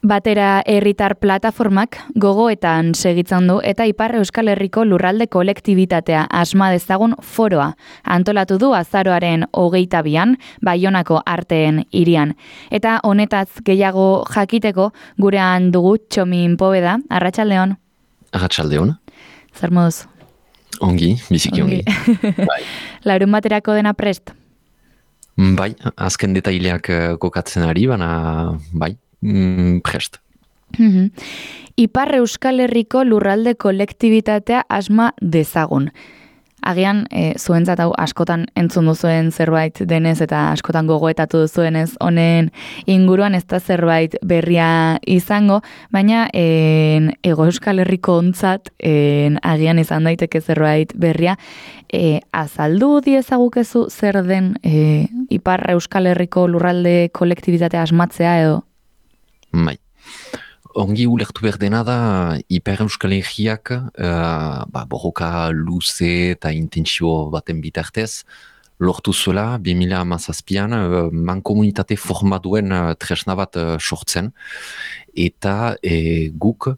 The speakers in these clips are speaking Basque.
Batera herritar plataformak gogoetan segitzen du eta Ipar Euskal Herriko lurralde kolektibitatea asma dezagun foroa antolatu du azaroaren 22an Baionako Arteen hirian. Eta honetaz gehiago jakiteko gurean dugu Txomin Poveda. Arratsaldeon. Arratsaldeon. Zer moduz? Ongi, biziki ongi. Bai. Larun baterako dena prest? Bai, azken detaileak kokatzen ari, baina bai. Prest. Ipar Euskal Herriko lurralde kolektibitatea asma dezagun. Agian, zuentzat hau askotan entzun duzuen zerbait denez eta askotan gogoetatu duzuenez honen inguruan ez da zerbait berria izango, baina Hego Euskal Herriko ontzat agian izan daiteke zerbait berria. Azaldu diezagukezu zer den Ipar Euskal Herriko lurralde kolektibitatea asmatzea edo? Bai. Ongi ulertu behar dena da Ipar Euskal Herriak borroka luze eta intentsio baten bitartez lortu zuela 2017an mankomunitate formatuen tresna bat sortzen eta guk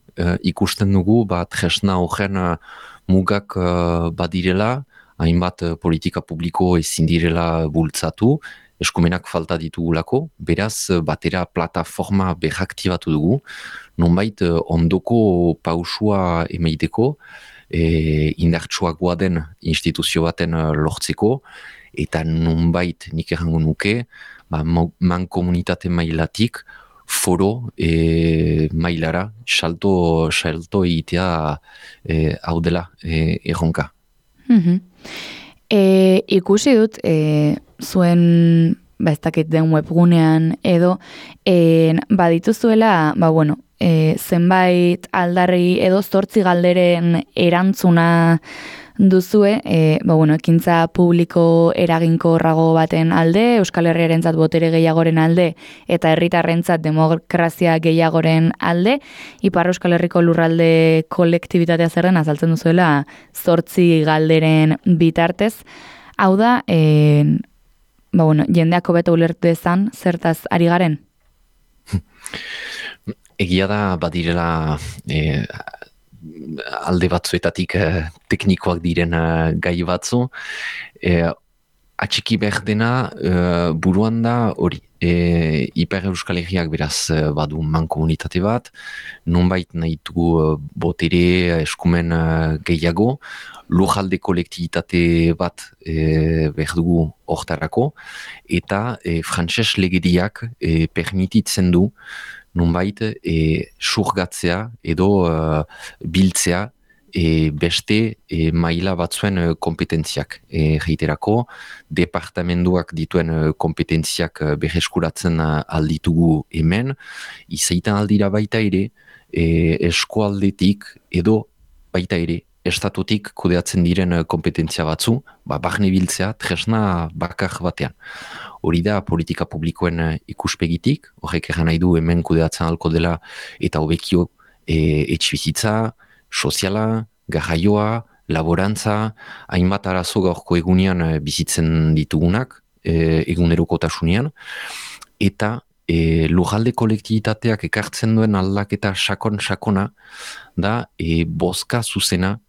ikusten dugu tresna horren mugak badirela, hainbat politika publiko ezin direla bultzatu, eskumenak falta ditugulako, beraz batera plataforma berraktibatu dugu, nonbait ondoko pausua emeiteko, indartsuagoa den instituzio baten lortzeko, eta nonbait nik errango nuke, mankomunitate mailatik, foro mailara, salto egitea hau dela erronka. Ikusi dut, zuen ez dakit den webgunean edo badituzuela zenbait aldarri edo 8 galderen erantzuna duzue ekintza publiko eraginkorrago baten alde, Euskal Herriarentzat botere gehiagoren alde eta herritarrentzat demokrazia gehiagoren alde, Ipar Euskal Herriko lurralde kolektibitatea zer den azaltzen duzuela 8 galderen bitartez. Hau da, jendeak hobeto ulertu dezan, zertaz ari garen? Egia da badirela alde batzuetatik teknikoak diren gai batzu. Atxiki behar dena buruan da hori. Ipar Euskal Herriak beraz badu mankomunitate bat, nonbait nahi dugu botere eskumen gehiago, lurralde kolektibitate bat behar dugu hortarako, eta frantses legediak permititzen du nonbait surgatzea edo biltzea beste maila batzuen kompetentziak. Reiterako, departamenduak dituen kompetentziak berreskuratzen alditugu hemen, izaitan aldira baita ere, eskualdetik edo baita ere, estatutik kudeatzen diren kompetentzia batzu, barne biltzea tresna bakar batean. Hori da politika publikoen ikuspegitik, horrek erran nahi du hemen kudeatzen alko dela eta hobekio etxibizitza, soziala, garraioa, laborantza, hainbat arazo gaurko egunean bizitzen ditugunak, egunerokotasunean, eta lurralde kolektibitateak ekartzen duen aldaketa sakona da bozka zuzena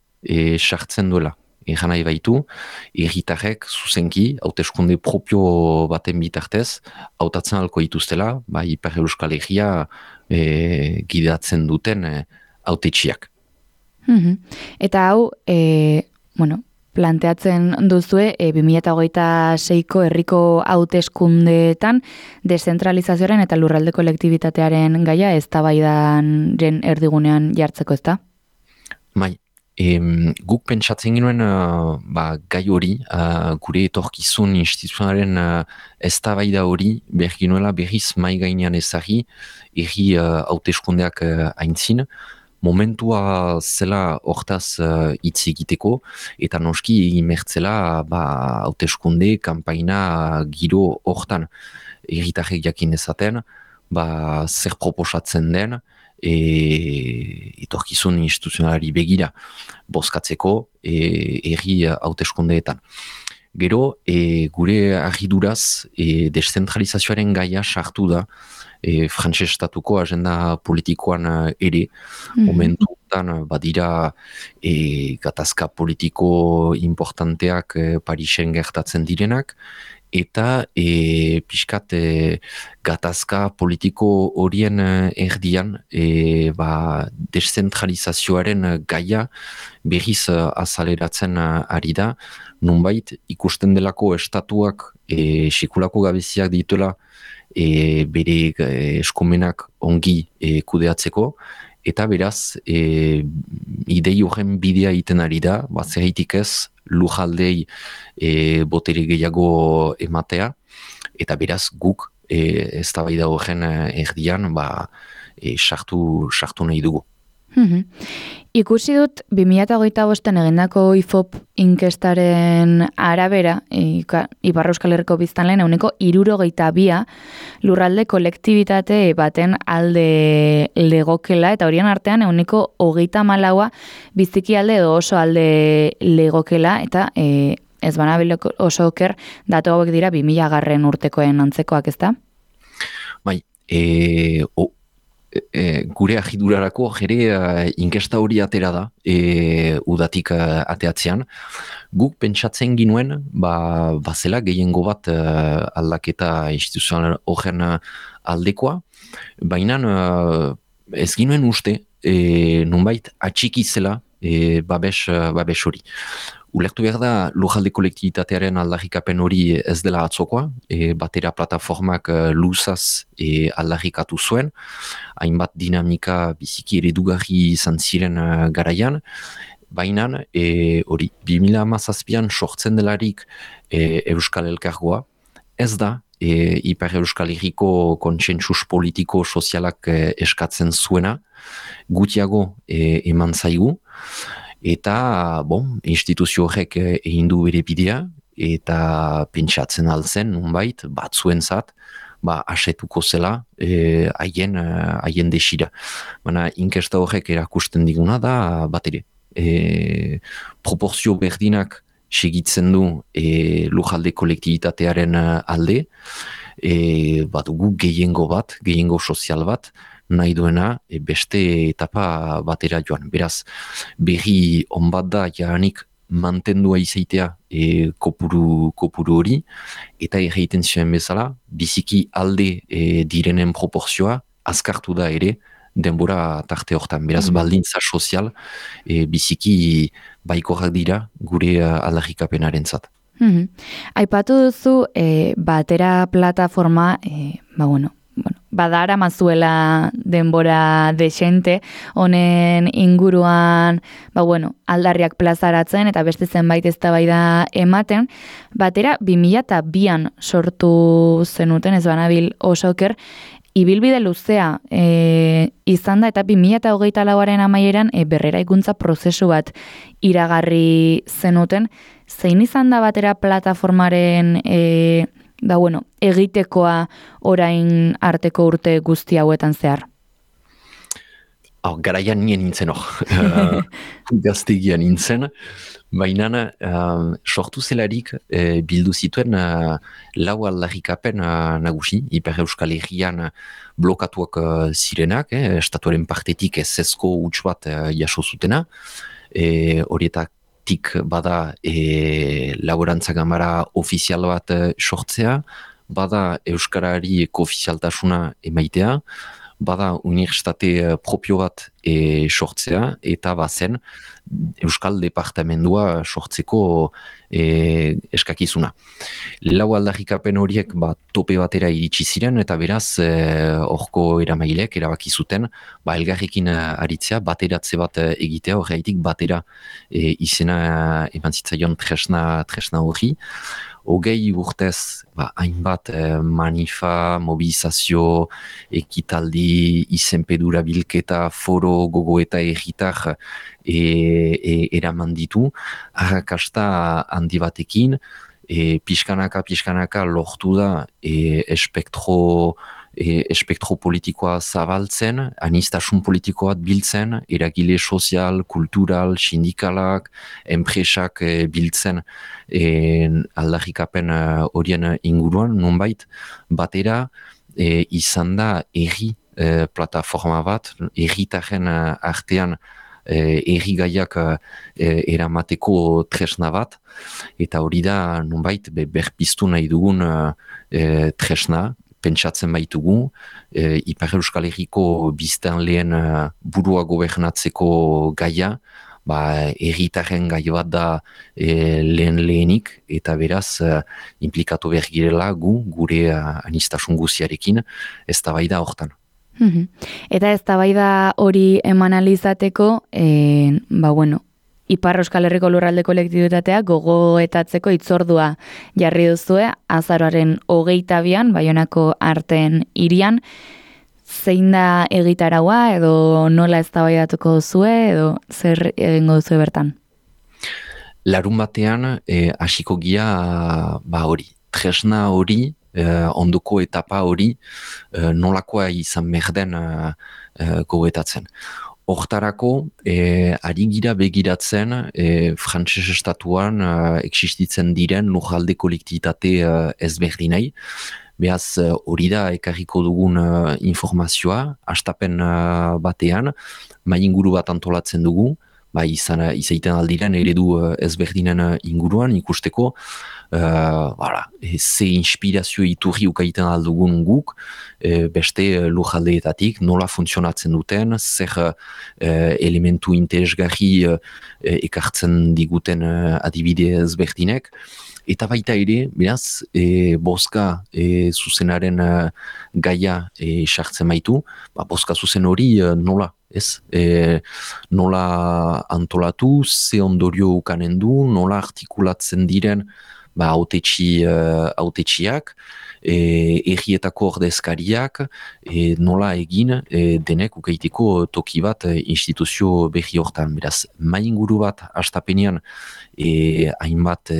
sartzen duela. Egan nahi baitu, herritarrek zuzenki, hauteskunde propio baten bitartez, hautatzen alko dituztela, Ipar Euskal Herria gidatzen duten hautetsiak. Eta hau, planteatzen duzue 2026ko herriko hauteskundeetan deszentralizazioaren eta lurralde kolektibitatearen gaia eztabaidaren erdigunean jartzeko, ezta? Bai. Guk pentsatzen genuen gai hori, gure etorkizun instituzionalen eztabaida hori berginuela berriz mai gainean ezagri, herri hauteskundeak aintzin, momentua zela hortaz hitz egiteko, eta noski imertzela hauteskunde, kanpaina giro hortan herritarrek jakin ezaten, zer proposatzen den, etorkizun instituzionalari begira bozkatzeko herri hauteskundeetan. Gero, gure argiduraz, deszentralizazioaren gaia sartu da, frantses estatuko agenda politikoan ere, momentuetan badira gatazka politiko importanteak Parisen gertatzen direnak, eta pixkat gatazka politiko horien erdian deszentralizazioaren gaia berriz azaleratzen ari da, nunbait ikusten delako estatuak sekulako gabeziak dituela bere eskumenak ongi kudeatzeko, eta beraz idei horren bidea egiten ari da, zergatik ez lujaldei botere gehiago ematea, eta beraz guk eztabaida horren erdian sartu nahi dugu. Ikusi dut 2025 egindako IFOP inkestaren arabera, Ipar Euskal Herriko biztanleen 62% lurralde kolektibitate baten alde legokela, eta horien artean 34% biziki alde edo oso alde legokela, eta ez banabil oso oker datu hauek dira 2000 urtekoen antzekoak, ezta? Bai, gure agidurarako jere inkesta hori atera da udatik ateatzean. Guk pentsatzen ginuen bazela gehiengo bat aldaketa instituzional horren aldekoa, baina ez ginuen uste nunbait atxiki zela babes hori. Ulertu behar da lujalde kolektibitatearen aldarrikapen hori ez dela atzokoa, batera plataformak luzaz aldarrikatu zuen, hainbat dinamika biziki eredugarri izan ziren garaian, baina hori 2017an sortzen delarik Euskal Elkargoa, ez da Ipar Euskal Herriko kontsentsus politiko sozialak eskatzen zuena, gutiago eman zaigu, eta, instituzio horrek egin du bere bidea, eta pentsatzen altzen, nunbait, batzuentzat, asetuko zela haien desira. Baina, inkesta horrek erakusten diguna da, bat ere, proporzio berdinak segitzen du lujalde kolektibitatearen alde, badugu gehiengo sozial bat, nahi duena beste etapa batera joan. Beraz, berri onbat da jaranik mantendua izaitea kopuru hori, eta erraiten zuen bezala, biziki alde direnen proporzioa azkartu da ere denbora tarte hortan. Beraz, baldintza sozial biziki baikorrak dira gure aldarrikapenaren zat. Aipatu duzu batera plataforma, badara mazuela denbora desente, honen inguruan, aldarriak plazaratzen eta beste zenbait eztabaida ematen, batera 2002an sortu zenuten, ez banabil oso oker, ibilbide luzea izan da, eta 2024aren amaieran berreraikuntza prozesu bat iragarri zenuten. Zein izan da batera plataformaren egitekoa orain arteko urte guzti hauetan zehar? Garaian nien nintzen gaztegian nintzen, baina sortu zelarik bildu zituen lau aldarrikapen nagusi, Ipar Euskal Herrian blokatuak zirenak, estatuaren partetik ezezko huts bat jaso zutena, horietatik bada laborantza gamara ofizial bat sortzea, bada Euskarari koofizialtasuna emaitea, bada unibertsitate propio bat sortzea, eta bazen Euskal Departamendua sortzeko eskakizuna. Lau aldarrikapen horiek tope batera iritsi ziren, eta beraz horko eramailek erabaki zuten elgarrekin aritzea, bateratze bat egitea, horreitik batera izena eman zitzaion tresna hori. Hogei urtez, hainbat manifa, mobilizazio, ekitaldi, izenpedura bilketa, foro, gogoeta egitar eraman ditu, arrakasta handi batekin, pixkanaka lortu da espektro espektro politikoa zabaltzen, anistasun politikoa biltzen, eragile sozial, kultural, sindikalak, enpresak biltzen aldarrikapen horien inguruan, nonbait, batera izan da erri plataforma bat, erritaren artean errigaiak eramateko tresna bat, eta hori da nonbait berpiztu nahi dugun tresna, pentsatzen baitugu, Ipar Euskal Herriko biztanleen burua gobernatzeko gaia, erritaren gai bat da lehenik, eta beraz implikatu behar girela gure anistasun guziarekin, eztabaida hortan. Eta eztabaida hori eman alizateko, Ipar Euskal Herriko lurralde kolektibitatea gogoetatzeko hitzordua jarri duzue, azaroaren 22an, Baionako Arteen hirian, zein da egitaraua edo nola eztabaidatuko duzue edo zer egingo duzue bertan? Larun batean hasiko gira hori, tresna hori, ondoko etapa hori nolakoa izan merden gogoetatzen. Hortarako, ari gira begiratzen frantses estatuan existitzen diren lurralde kolektibitate ezberdinei. Beaz, hori da ekarriko dugun informazioa, hastapen batean, inguru bat antolatzen dugu, izaiten aldiren eredu ezberdinen inguruan ikusteko, ze inspirazio iturri ukaiten aldugun guk, beste lurraldeetatik, nola funtzionatzen duten, zer elementu interesgarri ekartzen diguten adibide ezberdinek, eta baita ere, beraz, boska zuzenaren gaia sartzen baitu, boska zuzen hori nola? Nola antolatu, ze ondorio ukanen du, nola artikulatzen diren hautetsiak, errietako ordezkariak, nola egin denek ukaiteko toki bat instituzio berri hortan. Beraz, inguru bat hastapenean hainbat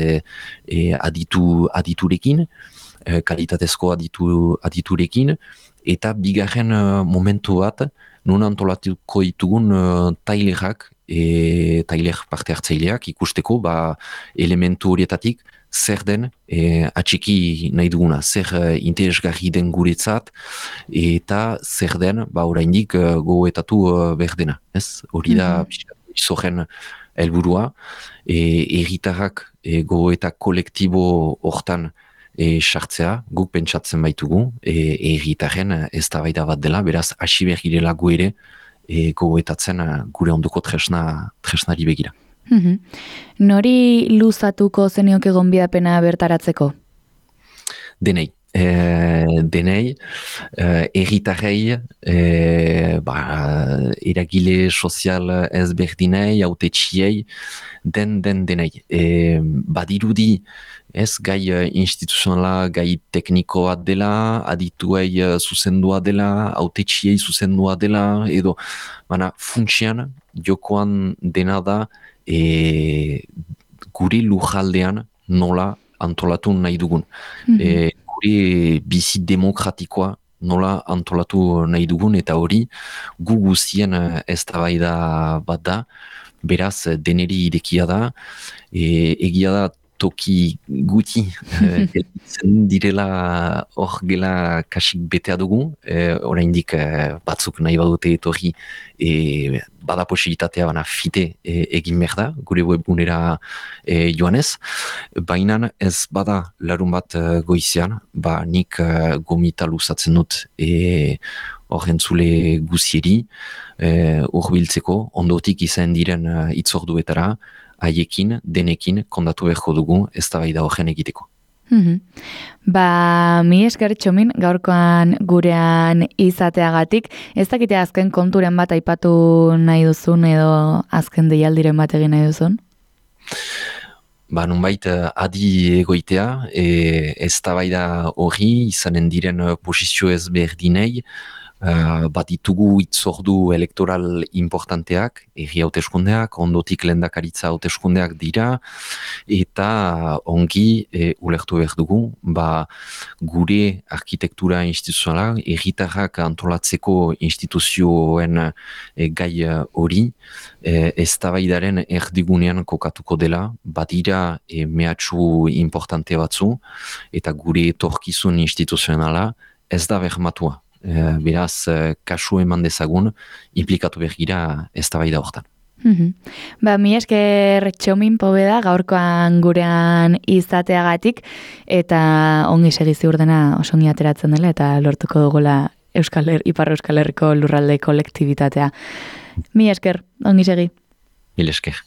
aditurekin, kalitatezko aditurekin, eta bigarren momentu bat, non antolatuko ditugun tailerak, tailer parte hartzaileak ikusteko elementu horietatik zer den atxiki nahi duguna, zer interesgarri den guretzat eta zer den oraindik gogoetatu berdena. Hori da izoren helburua, erritarrak gogoeta kolektibo hortan sartzea, guk pentsatzen baitugu, erritaren eztabaida bat dela, beraz, hasi behar girela gu ere gogoetatzen gure ondoko tresnari begira. Nori luzatuko zenioke gonbidapena bertaratzeko? Denei. Erritarrei, eragile sozial ezberdinei, hautetsiei, denei. Badirudi, gai instituzionala, gai teknikoa dela, adituei zuzendua dela, hautetsiei zuzendua dela, edo, funtsian, jokoan dena da, guri lujaldean nola antolatu nahi dugun. Gure bizi demokratikoa nola antolatu nahi dugun, eta hori gu guztien eztabaida bat da, beraz deneri irekia da, egia da toki guti direla hor gela kasik betea dugu, oraindik batzuk nahi badute etorri bada posibilitatea fite egin behar da, gure webgunera joanez, baina ez bada larun bat goizean, nik gomita luzatzen dut horrentzule guzieri urbiltzeko, ondotik izan diren itzorduetara, haiekin, denekin, kondatu beharko dugu, eztabaida horren egiteko. Mi esker Txomin, gaurkoan gurean izateagatik, ez dakite azken konturen bat aipatu nahi duzun edo azken deialdiren bat egin nahi duzun? Nunbait adi egoitea, eztabaida hori izanen diren posizio ezberdinei, bat ditugu itzordu elektoral importanteak, herri hauteskundeak, ondotik lehendakaritza hauteskundeak dira, eta ongi ulertu behar dugu, gure arkitektura instituzionala, herritarrak antolatzeko instituzioen gai hori, eztabaidaren erdigunean kokatuko dela, badira mehatxu importante batzu, eta gure etorkizun instituzionala ez da bermatua. Beraz, kasu eman dezagun, implikatu behar gira eztabaida hortan. Mi esker Txomin Pobeda gaurkoan gurean izateagatik, eta ongi segizi urdena oso ongi ateratzen dela, eta lortuko dugula Ipar Euskal Herriko lurralde kolektibitatea. Mi esker, ongi segi. Mil esker.